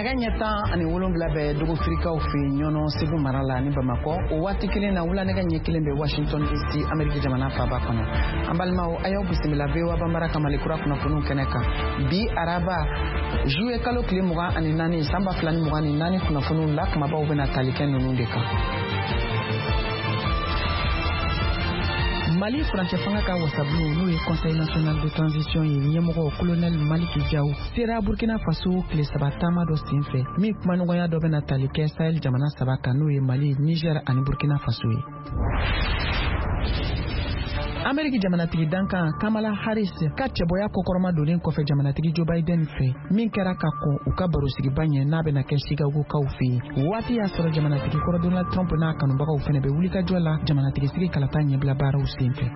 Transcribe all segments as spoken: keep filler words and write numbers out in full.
Nɛgɛ ɲɛ tan ani wolonwula bɛ dogofirikaw fɛ Ɲɔnɔ, Segu mara la, ni Bamakɔ. O waati kelen na, wula nɛgɛ ɲɛ kelen bɛ Washington D C, Ameriki jamana faaba kɔnɔ. An balimaw, a y'aw bisimila V O A Banbara ka Mali kura kunnafoniw kɛnɛ kan bi araba, juillet kalo tile mugan ani naani, san ba fila ni mugan ni naani. Kunnafoniw la kumabaw bɛna tali kɛ ninnu de kan: Mali furancɛ fanga ka wasabulon, n'o ye Conseil national de transition ye, ɲɛmɔgɔ Colonel Maliki Jaw sera Burkina Faso tile saba taama dɔ sen fɛ, min kumaɲɔgɔnya dɔ bɛna tali kɛ Sahel jamana saba kan, n'o ye Mali, Niger ani Burkina Faso ye. Ameriki jamanatigi dankan Kamala Harris ka cɛbɔya kɔkɔrɔma donnen kɔfɛ jamanatigi Joe Biden fɛ, min kɛra ka kɔn u ka barosigiba ɲɛ n'a bɛna kɛ Chicagokaw fɛ yen, waati y'a sɔrɔ jamanatigi kɔrɔ Donald Trump n'a kanubagaw fɛnɛ bɛ wulikajɔ la jamanatigi sigi kalata ɲɛbila baaraw sen fɛ.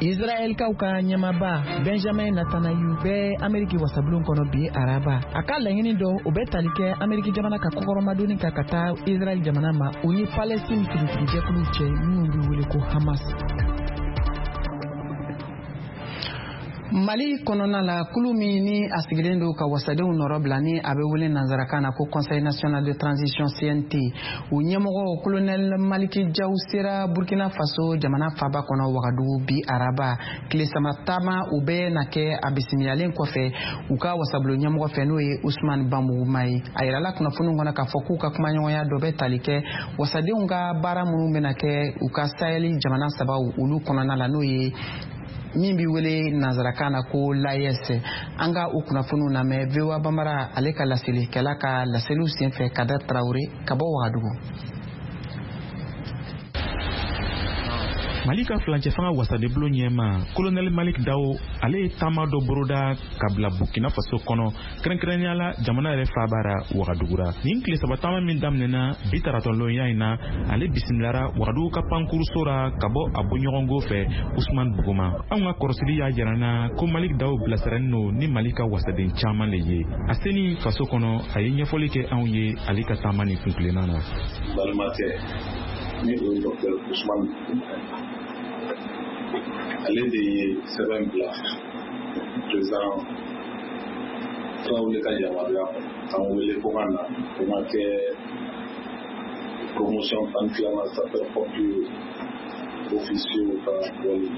Israɛlkaw ka ɲɛmaba Benjamin Netanyahu bɛ Ameriki wasabulon kɔnɔ bi araba. A ka laɲini dɔ, o bɛ tali kɛ Ameriki jamana ka kɔkɔrɔmadonni kan ka taa Israɛl jamana ma, u ni Palestine finitigijɛkuluw cɛ minnu bɛ wele ko Hamas. Mali kɔnɔna la, kulu min ni a sigilen don ka wasadenw nɔrɔ bila, ni a bɛ wele nanzarakan na ko Conseil national de transition, C N T, u ɲɛmɔgɔ Colonel Maliki Jaw sera Burkina Faso jamana faaba kɔnɔ Wagadugu bi araba. Tile saba taama u bɛ na kɛ a bisimilalen kɔfɛ u ka wasabulon ɲɛmɔgɔ fɛ, n'o ye Usman Banbuguma ye. A yirala kunnafoniw kɔnɔ k'a fɔ k'u ka kumaɲɔgɔnya dɔ bɛ tali kɛ wasadenw ka baara minnu bɛna kɛ u ka Sahel jamana sabaw olu kɔnɔna la, n'o ye min bi wele nanzarakan na ko l'A E S. An ka o kunnafoniw lamɛn V O A Banbara ale ka laselikɛla ka laseliw senfɛ, Kader Tarawele ka bɔ Wagadugu. Mali ka furancɛ fanga wasadenbulon ɲɛma Kolonɛli Malik Dawo, ale ye taama dɔ boroda ka bila Burkina Faso kɔnɔ, kɛrɛnkɛrɛnnenya la jamana yɛrɛ faaba ra Wagadugura. Nin tile saba taama min daminɛna bi taratɔlɔnya in na, ale bisimilara Wagadugu ka pankuruso ra ka bɔ a bɔɲɔgɔnko fɛ Usman Buguma. Anw ka kɔrɔsili y'a jira na ko Malik Dawo bilasiralen no ni Mali ka wasaden caaman le ye. A seni faso kɔnɔ, a ye ɲɛfɔli kɛ anw ye ale ka taama nin kuntilenna na. Balimakɛ, ni o ye Docteur Usman, ale de ye sɛbɛn bila président Tarawele ka yamaruya kɔnɔ k'an wele ko ka na ko n ka kɛ promotion tan ni filanan sapeur pompier officier ka bɔli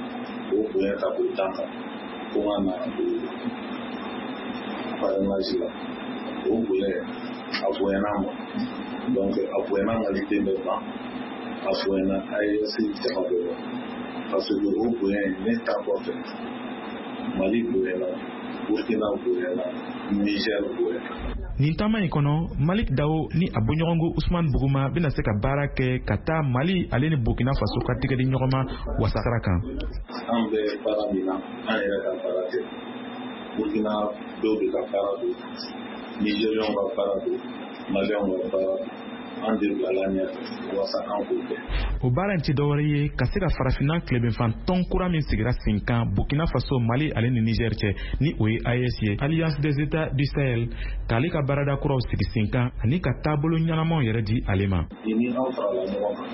k'o bonya ta k'o d'an kan, ko n ka na o parrainage la. O bonya, a bonyana ma, donc a bonyana maliden bɛɛ ma, a bonyana A E S jama bɛɛ ma, parce que o bonya in, ne ta kɔfɛ, Mali bonyana, Burkina bonyana, Niger bonyana. Nin taama in kɔnɔ, Malik Dawo ni a bɔɲɔgɔnko Usman Buguma bɛna se ka baara kɛ ka taa Mali ale ni Burkina Faso ka tigɛdi ɲɔgɔn ma wasasira kan. An bɛ baara min na, an yɛrɛ ka baara tɛ, Burkina dɔw de ka baara don, Nigériens ka baara don, Maliens ka baara don. An de bilala ɲɛfɛ walasa an k'o kɛ. O baara in tɛ dɔwɛrɛ ye ka se ka farafinna tilebenfan tɔn kura min sigira sen kan Burkina Faso, Mali ale ni Niger cɛ, ni o ye A E S ye, Alliance des États du Sahel, k'ale ka baarada kuraw sigi sen kan ani ka taabolo ɲɛnamaw yɛrɛ di ale ma. Ni an farala ɲɔgɔn kan,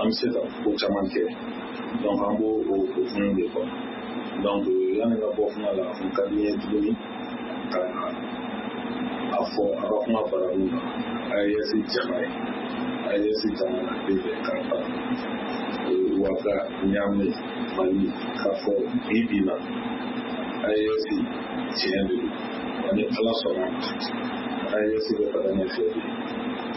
an bɛ se ka ko caman kɛ, donc an b'o o hukumu de kɔnɔ. Donc yanni ka bɔ kuma la, a kun ka di n ye tuguni ka a fɔ a ka kuma baranin na A E S jama ye, A E S jamanaden bɛɛ k'a fara Waga, Ɲame, Mali, k'a fɔ bi bi na A E S tiɲɛ de don. Ani Ala sɔnna, A E S bɛ taga ɲɛfɛ bi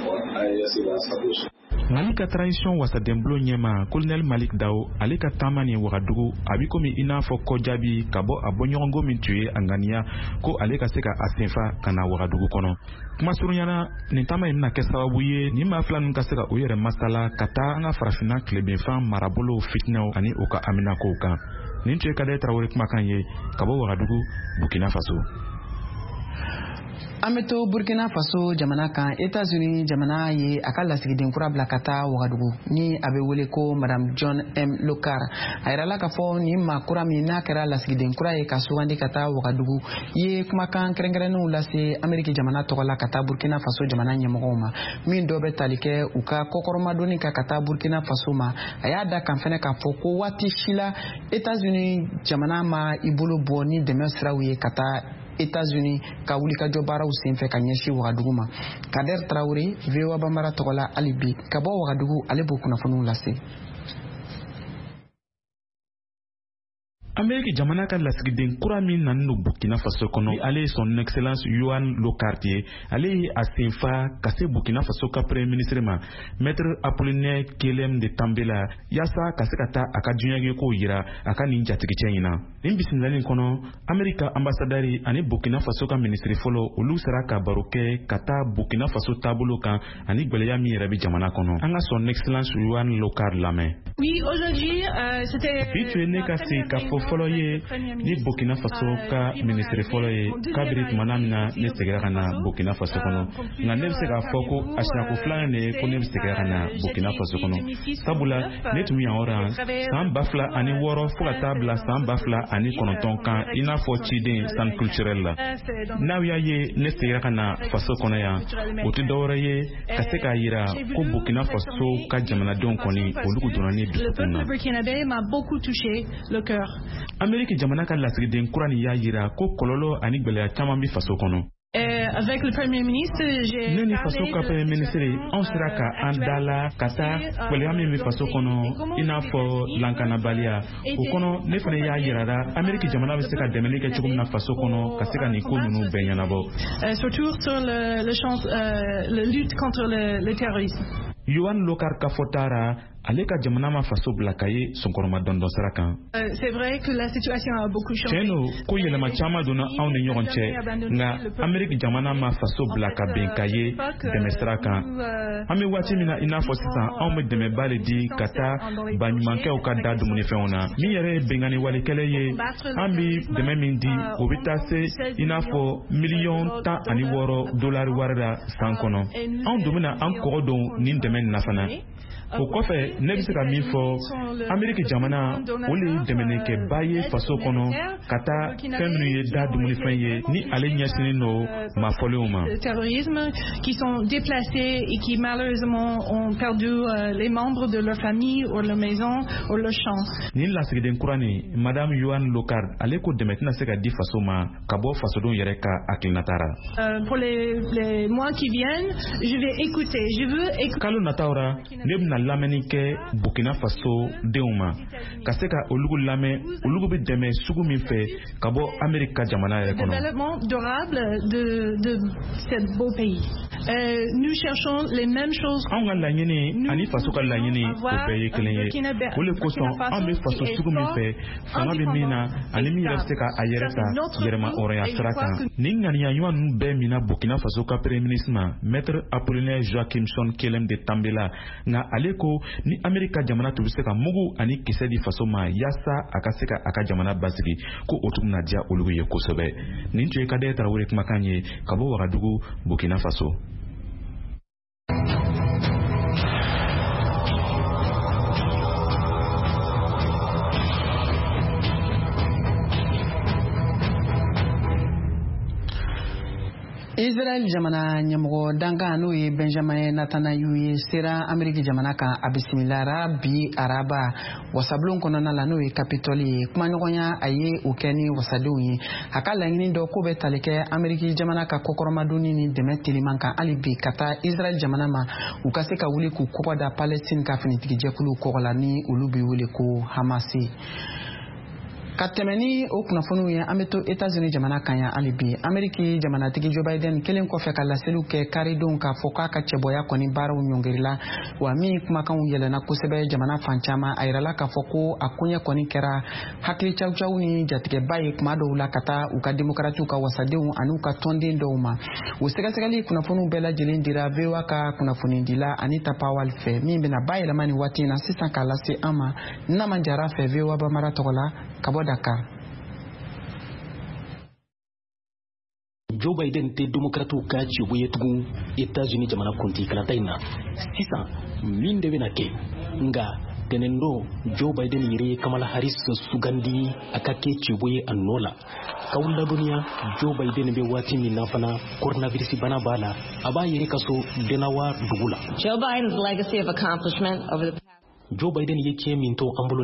wa A E S b'a sago sɔrɔ. Mali ka transition wasadenbulon ɲɛma Colonel Malik Dawo, ale ka taama nin Wagadugu, a bi komi i n'a fɔ kɔjaabi ka bɔ a bɔɲɔgɔnko min tun ye a ŋaniya ko ale ka se ka a senfa ka na Wagadugu kɔnɔ. Kuma surunyana, nin taama in bɛna kɛ sababu ye nin maa fila ninnu ka se ka u yɛrɛ masala ka taa an ka farafinna tilebenfan marabolow fitinɛw ani u ka haminakow kan. Nin tun ye Kadɛ Tarawele kumakan ye ka bɔ Wagadugu, Burkina Faso. An bɛ to Burkina Faso jamana kan. Etats-Unis jamana ye a ka lasigiden kura bila ka taa Wagadugu, ni a bɛ wele ko Madame John M Lokar. A yirala k'a fɔ nin maa kura min n'a kɛra lasigiden kura ye ka sugandi ka taa Wagadugu ye, kumakan kɛrɛnkɛrɛnnenw lase Ameriki jamana tɔgɔ la ka taa Burkina Faso jamana ɲɛmɔgɔw ma, min dɔ bɛ tali kɛ u ka kɔkɔrɔmadonni kan ka taa Burkina Faso ma. A y'a da kan fɛnɛ k'a fɔ ko waati si la Etats-Unis jamana ma i bolo bɔ ni dɛmɛ siraw ye ka taa États-Unis ka wulikajɔ baaraw senfɛ ka ɲɛsin Wagadugu ma. Kader Traoré, V O A Bambara tɔgɔ la hali bi ka bɔ Wagadugu, ale b'o kunnafoniw lase. Ameriki jamana ka lasigiden kura min nana don Burkina Faso kɔnɔ, ale ye son excellence Yohan Lockhart ye. Ale ye a senfa ka se Burkina Faso ka premier ministre ma, maître Apollinaire Kyélem de Tambela, yaasa ka se ka taa a ka diɲɛkow yira a ka nin jatigicɛ in na. Nin bisimilali kɔnɔ, Ameriki ka ambassadeur ani Burkina Faso ka ministre fɔlɔ, olu sera ka baro kɛ ka taa Burkina Faso taabolo kan ani gwɛlɛya min yɛrɛ bɛ jamana kɔnɔ. An ka son excellence Yohan Lockhart lamɛn. Oui, aujourd'hui, euh, c'était bi tun ye ne ka se ka fɔ fɔlɔ ye ni Burkina Faso ka ministre fɔlɔ ye kabiri tumana min na ne seginna ka na Burkina Faso kɔnɔ. Nka ne bɛ se k'a fɔ ko a siɲɛko filanan de ye ko ne bɛ segin ka na Burkina Faso kɔnɔ, sabula ne tun bɛ yan yɔrɔ san ba fila ani wɔɔrɔ fo ka taa bila san ba fila ani kɔnɔntɔn kan, i n'a fɔ ciden centre culturel la. N'aw y'a ye ne seginna ka na faso kɔnɔ yan, o tɛ dɔwɛrɛ ye ka se k'a yira ko Burkina Faso ka jamanadenw kɔni olu donna ne dusukun na. Ameriki jamana ka lasigiden kura nin y'a yira ko kɔlɔlɔ ani gwɛlɛya caman bɛ faso kɔnɔ. Avec le Premier ministre, j'ai ne ni faso ka premier ministre, anw sera ka an da la ka taa gwɛlɛya min bɛ faso kɔnɔ, i n'a fɔ lankanabaliya. O kɔnɔ, ne fana y'a yirara Ameriki jamana bɛ se ka dɛmɛli kɛ cogo min na faso kɔnɔ ka se ka nin ko ninnu bɛɛ ɲɛnabɔ. Surtout sur le, le champ, euh, la lutte contre le, le terrorisme. Yohan Lockhart ka fɔta ra, ale ka jamana ma faso bila ka ye sɔnkɔrɔma dɔndɔn sira kan. C'est vrai que la situation a beaucoup changé. Tiɲɛ don ko yɛlɛma caman donna anw ni ɲɔgɔn cɛ, nka Ameriki jamana ma faso bila ka bɛn ka ye dɛmɛ sira kan. An bɛ waati min na i n'a fɔ sisan, anw bɛ dɛmɛba de di ka taa baɲumankɛw ka da dumunifɛnw na. Min yɛrɛ ye binkanni walekɛlɛ ye, an bɛ dɛmɛ min di, o bɛ taa se i n'a fɔ miliyɔn tan ani wɔɔrɔ dolari wari la san kɔnɔ. Anw dun bɛna an kɔgɔ don nin dɛmɛ nin na fana. O kɔfɛ, ne bɛ se ka min fɔ, Ameriki jamana o le ye dɛmɛnikɛba ye faso kɔnɔ ka taa fɛn minnu ye da dumunifɛn ye ni ale ɲɛsinnen don maafɔlenw ma. Terrorisme qui sont déplacés et qui malheureusement ont perdu les membres de leur famille ou leur maison ou leur champ. Nin lasigiden kura nin, Madame Yohan Lockhart, ale ko dɛmɛ tɛna se ka di faso ma ka bɔ fasodenw yɛrɛ ka hakilinata ra. Pour les, les mois qui viennent, je vais écouter. Je veux écouter. Kalo nataw ra, ne bɛna lamɛnni kɛ Burkina Faso denw ma ka se ka olugu lamɛn, olugu bɛ dɛmɛ sugu min fɛ ka bɔ Ameriki ka jamana yɛrɛ kɔnɔ. Développement durable de de ce beau pays. Euh, nous cherchons les mêmes choses. Anw ka laɲini ani faso ka laɲini o bɛɛ ye kelen ye. O le kosɔn anw bɛ faso sugu min fɛ, fanga bɛ min na ani min yɛrɛ bɛ se ka a yɛrɛ ta yɛrɛma hɔrɔnya sira kan. Nin ŋaniya ɲuman ninnu bɛɛ minna Burkina Faso ka premier ministre ma, maître Apollinaire Joachimson Kyélem de Tambela. Nka ale ko ni Ameriki ka jamana tun bɛ se ka mugu ani kisɛ di faso ma yaasa a ka se ka a ka jamana basigi, ko o tun bɛna diya olu ye kosɛbɛ. Nin tun ye Kader Traoré kumakan ye ka bɔ Wagadugu, Burkina Faso. Israel jamana ɲɛmɔgɔ dankan n'o ye Benjamin Netanyahu ye sera Ameriki jamana kan a bisimilara bi araba wasabulon kɔnɔna la n'o ye Capitole ye. Kumaɲɔgɔnya a ye o kɛ ni wasadenw ye. A ka laɲini dɔ k'o bɛ tali kɛ Ameriki jamana ka kɔkɔrɔmadonni ni dɛmɛ teliman kan hali bi ka taa Israel jamana ma, u ka se ka wuli k'u kɔgɔ da Palestine ka finitigijɛkulu kɔgɔ la ni olu bɛ wele ko Hamasi. Ka tɛmɛ ni o kunnafoniw ye, an bɛ to États-Unis jamana kan yan hali bi. Ameriki jamanatigi Joe Biden kelen kɔfɛ ka laseliw kɛ karidon k'a fɔ k'a ka cɛbɔya kɔni baaraw ɲɔngirila, wa min kumakanw yɛlɛnna kosɛbɛ jamana fan caman. A yirala k'a fɔ ko a koɲɛ kɔni kɛra hakili cawucawu ni jatigɛba ye kuma dɔw la ka taa u ka demokaratiw ka wasadenw ani u ka tɔnden dɔw ma. O sɛgɛsɛgɛli kunnafoniw bɛɛ lajɛlen dira V O A ka kunnafonidila Anita Powell fɛ, min bɛna bayɛlɛma nin waati in na sisan k'a lase an ma Naman Jara fɛ V O A Bambara tɔgɔ la ka bɔ Dakar. Joe Biden tɛ demokratiw ka cɛbɔ ye tugun États-Unis jamana kuntigi kalata in na. Sisan min de bɛna kɛ, nka tɛnɛndon Joe Biden yɛrɛ ye Kamala Harris sugandi a ka kɛ cɛbɔ ye a nɔ la. K'aw ladɔnniya, Joe Biden bɛ waati min na fana coronavirus bana b'a la, a b'a yɛrɛ ka so Delaware dugu la. Joe Biden's legacy of accomplishment over the Joe Biden ye tiɲɛ min to an bolo.